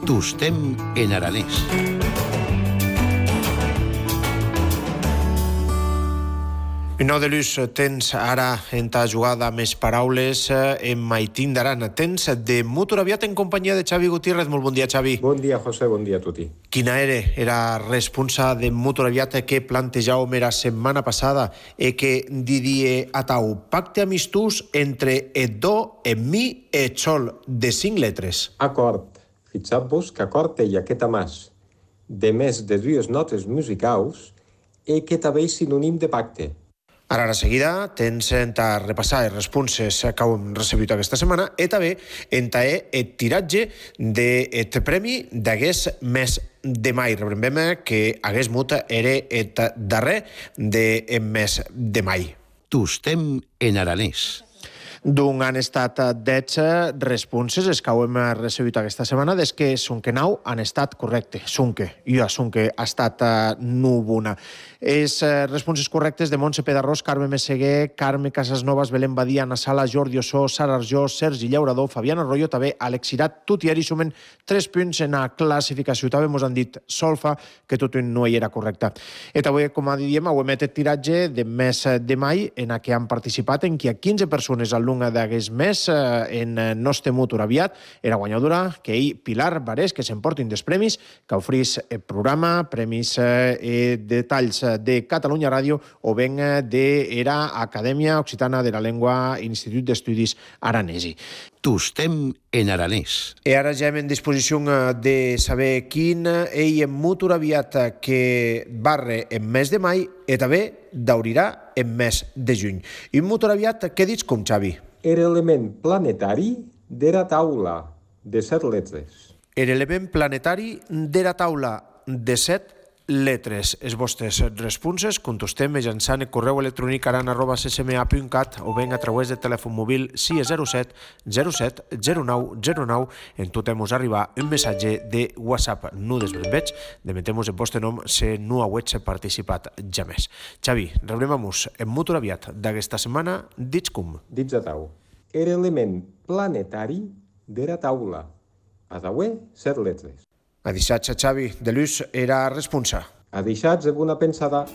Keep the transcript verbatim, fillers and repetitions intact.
Tostem en aranès. Nou de luz, tens ara en ta jugada més paraules en Maitín d'Aran. Tens de Motoraviat en companyia de Xavi Gutiérrez. Molt bon dia, Xavi. Bon dia, José, bon dia a tutti. Quina era era responsa de Motoraviat que plantejàvem era setmana passada e que didie atau pacte amistús entre et do, et mi e et sol de cinc letres. Acord. Fixat-vos que acord té aquesta mas de més de dues notes musicals e que també és sinònim de pacte. Ara, a la seguida, tens en ta repassar les responses que hem recebut aquesta setmana i també en ta el tiratge del premi d'hagués mes de mai. Rebrem que hagués mut era el darrer del mes de mai. Tostem en aranès. Doncs han estat dotze responses els que hem recebut aquesta setmana, des que Sunque nou han estat correcte. Sunque, jo a Sunque ha estat núvona. Les responses correctes de Montse Pedarrós, Carme Messeguer, Carme Casasnovas, Belén Badia, Ana Sala, Jordi Ossó, Sara Arjó, Sergi Llaurador, Fabián Arroyo, també Alexirat Tutieri, sumen tres punts en la classificació. També mos han dit Solfa, que tot no hi era correcte. I també, com diem, ho hem el tiratge de mes de mai en què han participat en què quinze persones al lunga d'aquest mes en nostre Motoraviat era guanyadora que hi Pilar Barés, que s'emportin dels premis que oferís el programa, premis i detalls de Catalunya Ràdio o ben de era Acadèmia Occitana de la Llengua Institut d'Estudis Aranesi. Tostem en aranès. I ara ja hem en disposició de saber quin ell en Motoraviat que barre en mes de mai i també daurirà en mes de juny. I en Motoraviat, què dius com, Xavi? Era element planetari d'era taula de set letres. Era element planetari d'era taula de set letres. Les vostres responses contestem mitjançant el correu electrònic aran arroba c s m a punt cat o ben a través del telèfon mòbil sis zero set zero set zero nou zero nou. En tot hem arribar un missatge de WhatsApp. No desbrembeig, demetem-vos el vostre nom si no heu participat ja més. Xavi, rebrem-nos en Motoraviat d'aquesta setmana. Dits com? Dits a tau. Era element planetari d'era taula. A tauer, set letres. A deixats, Xavi, de luz era responsa. A deixats, bona pensada.